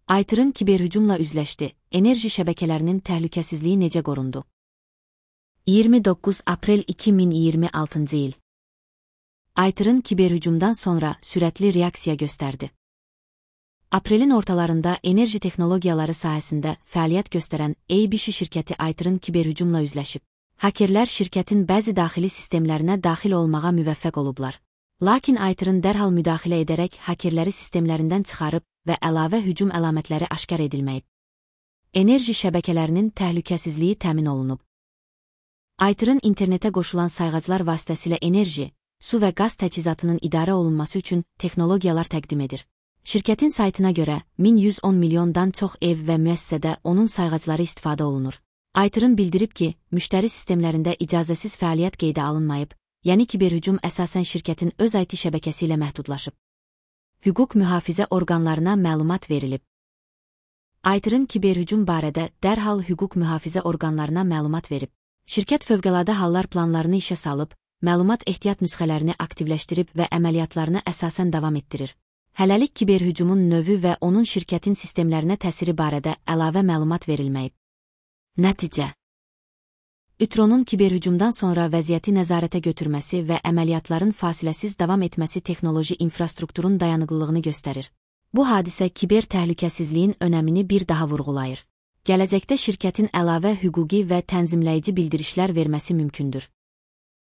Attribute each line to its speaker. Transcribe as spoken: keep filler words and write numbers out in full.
Speaker 1: Aytırın kiberhücumla üzləşdi. Enerji şəbəkələrinin təhlükəsizliyi necə qorundu? iyirmi doqquz aprel iki min iyirmi altıncı il. Aytırın kiberhücumdan sonra sürətli reaksiya göstərdi. Aprelin ortalarında enerji texnologiyaları sahəsində fəaliyyət göstərən A B C şirkəti Aytırın kiberhücumla üzləşib. Hakerlər şirkətin bəzi daxili sistemlərinə daxil olmağa müvəffəq olublar. Lakin Aytırın dərhal müdaxilə edərək hakerləri sistemlərindən çıxarıb və əlavə hücum əlamətləri aşkar edilməyib. Enerji şəbəkələrinin təhlükəsizliyi təmin olunub. Aytırın internetə qoşulan sayğaclar vasitəsilə enerji, su və qaz təchizatının idarə olunması üçün texnologiyalar təqdim edir. Şirkətin saytına görə min yüz on milyondan çox ev və müəssisədə onun sayğacları istifadə olunur. Aytırın bildirib ki, müştəri sistemlərində icazəsiz fəaliyyət qeydə alınmayıb, yəni kiberhücum əsasən şirkətin öz I T şəbəkəsi ilə məhdudlaşıb. Hüquq mühafizə orqanlarına məlumat verilib. Aytırın kiberhücum barədə dərhal hüquq mühafizə orqanlarına məlumat verib. Şirkət fövqəladə hallar planlarını işə salıb, məlumat ehtiyat nüsxələrini aktivləşdirib və əməliyyatlarını əsasən davam etdirir. Hələlik kiberhücumun növü və onun şirkətin sistemlərinə təsiri barədə əlavə məlumat verilməyib. Nəticə: İTRO'nun kiberhücumdan sonra vəziyyəti nəzarətə götürməsi və əməliyyatların fasiləsiz davam etməsi texnoloji infrastrukturun dayanıqlılığını göstərir. Bu hadisə kiber təhlükəsizliyin önəmini bir daha vurğulayır. Gələcəkdə şirkətin əlavə hüquqi və tənzimləyici bildirişlər verməsi mümkündür.